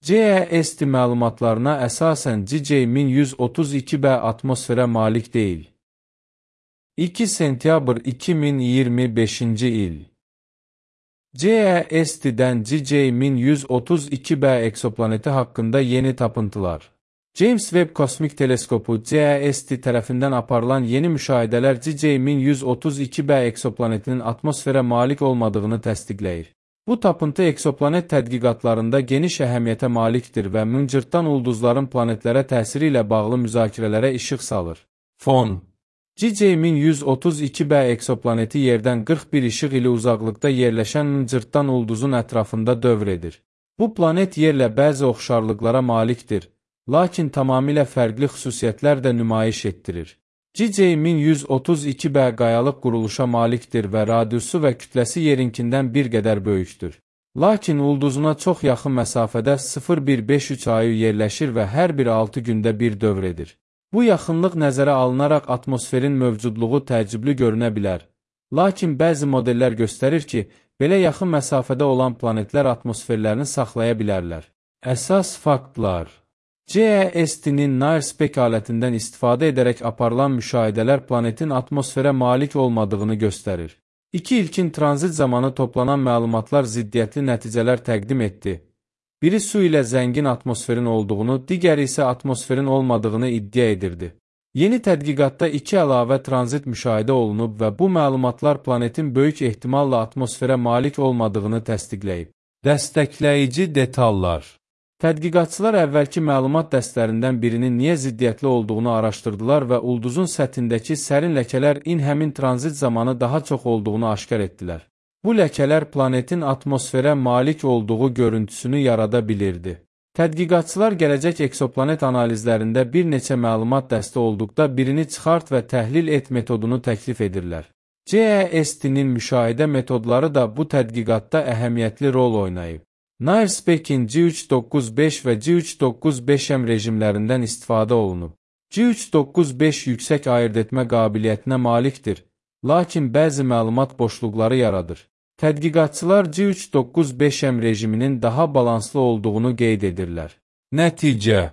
CEST məlumatlarına əsasən CJ1132b atmosferə malik deyil. 2 sentyabr 2025-ci il. CEST-dən CJ1132b eksoplaneti haqqında yeni tapıntılar. James Webb Kosmik Teleskopu CEST tərəfindən aparılan yeni müşahidələr CJ1132b eksoplanetinin atmosferə malik olmadığını təsdiqləyir. Bu tapıntı eksoplanet tədqiqatlarında geniş əhəmiyyətə malikdir və mıncırtdan ulduzların planetlərə təsiri ilə bağlı müzakirələrə işıq salır. Fon. CJ1132b eksoplaneti yerdən 41 işıq ili uzaqlıqda yerləşən mıncırtdan ulduzun ətrafında dövr edir. Bu planet yerlə bəzi oxşarlıqlara malikdir, lakin tamamilə fərqli xüsusiyyətlər də nümayiş etdirir. CJ1132b qayalıq quruluşa malikdir və radiusu və kütləsi yerinkindən bir qədər böyükdür. Lakin ulduzuna çox yaxın məsafədə 0153 ayı yerləşir və hər bir 6 gündə bir dövr edir. Bu yaxınlıq nəzərə alınaraq atmosferin mövcudluğu təəccüblü görünə bilər. Lakin bəzi modellər göstərir ki, belə yaxın məsafədə olan planetlər atmosferlərini saxlaya bilərlər. Əsas faktlar. CEST-nin NIRSPEC alətindən istifadə edərək aparılan müşahidələr planetin atmosferə malik olmadığını göstərir. İki ilkin tranzit zamanı toplanan məlumatlar ziddiyyətli nəticələr təqdim etdi. Biri su ilə zəngin atmosferin olduğunu, digəri isə atmosferin olmadığını iddia edirdi. Yeni tədqiqatda 2 əlavə tranzit müşahidə olunub və bu məlumatlar planetin böyük ehtimalla atmosferə malik olmadığını təsdiqləyib. Dəstəkləyici detallar. Tədqiqatçılar əvvəlki məlumat dəstlərindən birinin niyə ziddiyyətli olduğunu araşdırdılar və ulduzun səthindəki sərin ləkələr həmin tranzit zamanı daha çox olduğunu aşkar etdilər. Bu ləkələr planetin atmosferə malik olduğu görüntüsünü yarada bilirdi. Tədqiqatçılar gələcək eksoplanet analizlərində bir neçə məlumat dəsti olduqda birini çıxart və təhlil et metodunu təklif edirlər. CEST-nin müşahidə metodları da bu tədqiqatda əhəmiyyətli rol oynayıb. NIRSPEC-in G395 və G395M rejimlərindən istifadə olunub. G395 yüksək ayırd etmə qabiliyyətinə malikdir, lakin bəzi məlumat boşluqları yaradır. Tədqiqatçılar G395M rejiminin daha balanslı olduğunu qeyd edirlər. Nəticə.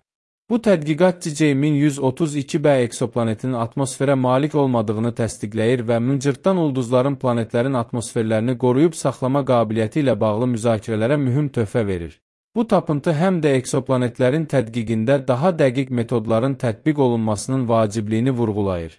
Bu tədqiqat CJ1132b eksoplanetinin atmosferə malik olmadığını təsdiqləyir və mıncırtdan ulduzların planetlərin atmosferlərini qoruyub saxlama qabiliyyəti ilə bağlı müzakirələrə mühüm töhfə verir. Bu tapıntı həm də eksoplanetlərin tədqiqində daha dəqiq metodların tətbiq olunmasının vacibliyini vurğulayır.